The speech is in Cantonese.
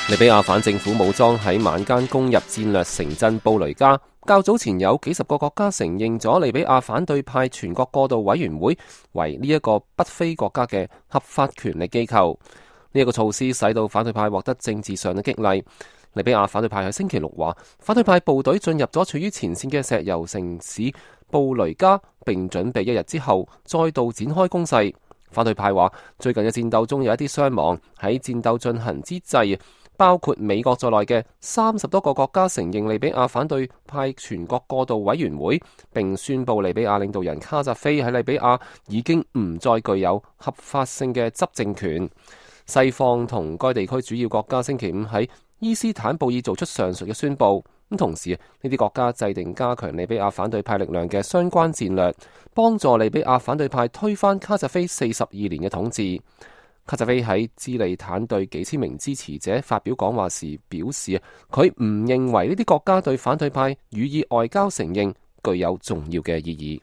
利比亞反政府武裝喺晚間攻入戰略城鎮布雷加。較早前有幾十個國家承認咗利比亞反對派全國過渡委員會為呢一個北非國家嘅合法權力機構。呢一個措施使到反對派獲得政治上嘅激勵。利比亞反對派喺星期六話，反對派部隊進入咗處於前線嘅石油城市布雷加，並準備一日之後再度展開攻勢。反對派話，最近嘅戰鬥中有一啲傷亡。喺戰鬥進行之際，包括美國在內嘅30多個國家承認利比亞反對派全國過渡委員會，並宣布利比亞領導人卡扎菲喺利比亞已經唔再具有合法性嘅執政權。西方同該地區主要國家星期五喺伊斯坦布爾做出上述嘅宣佈。咁同時，呢啲國家制定加強利比亞反對派力量嘅相關戰略，幫助利比亞反對派推翻卡扎菲42年嘅統治。卡扎菲喺智利坦對幾千名支持者發表講話時表示，佢唔認為呢啲國家對反對派予以外交承認具有重要嘅意義。